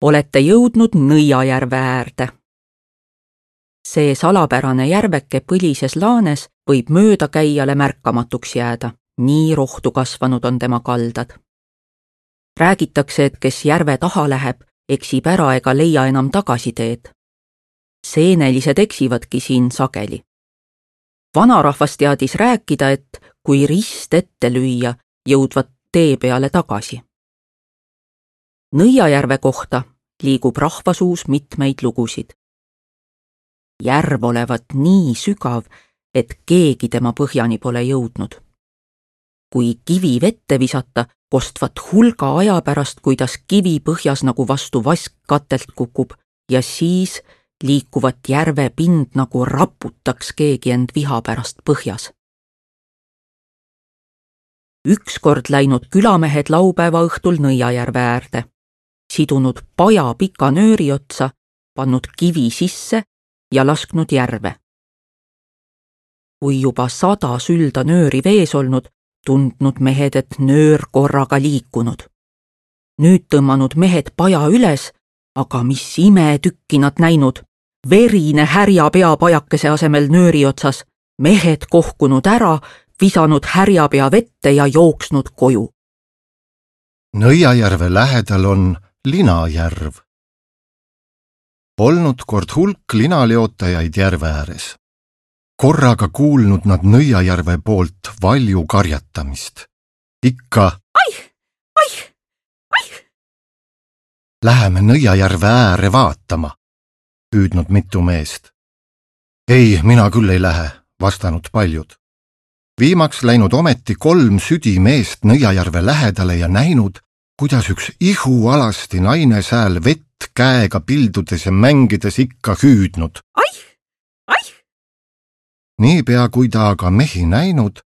olete jõudnud Nõiajärve äärde. See salapärane järveke põlises laanes võib möödakäijale märkamatuks jääda, nii rohtu kasvanud on tema kaldad. Räägitakse, et kes järve taha läheb, eksib ära ega leia enam tagasiteed. Seenelised eksivadki siin sageli. Vanarahvas teadis rääkida, et kui rist ette lüüa, jõudvad tee peale tagasi. Nõiajärve kohta liigub rahvasuus mitmeid lugusid. Järv olevat nii sügav, et keegi tema põhjani pole jõudnud. Kui kivi vette visata, kostvat hulga aja pärast, kuidas kivi põhjas nagu vastu vask katelt kukub ja siis liikuvat järve pind nagu raputaks keegi end viha pärast põhjas. Ükskord läinud külamehed laupäeva õhtul Nõiajärve äärde, sidunud paja pika nööri otsa, pannud kivi sisse ja lasknud järve. Kui juba 100 sülda nööri vees olnud, tundnud mehed, et nöör korraga liikunud. Nüüd tõmmanud mehed paja üles, aga mis imetükki nad näinud. Verine härjapea pajakese asemel nööri otsas, mehed kohkunud ära, visanud härjapea vette ja jooksnud koju. Nõiajärve lähedal on Linajärv. Olnud kord hulk linaleotajaid järve ääres. Korraga kuulnud nad Nõiajärve poolt valju karjatamist. Ikka Aih! Läheme Nõiajärve ääre vaatama, püüdnud mitu meest. Ei, mina küll ei lähe, vastanud paljud. Viimaks läinud ometi 3 südimeest Nõiajärve lähedale ja näinud, kuidas üks ihualasti naine sääl vett käega pildudes ja mängides ikka hüüdnud. Aih! Niipea kui ta aga mehi näinud,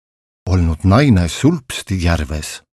olnud naine sulpsti järves.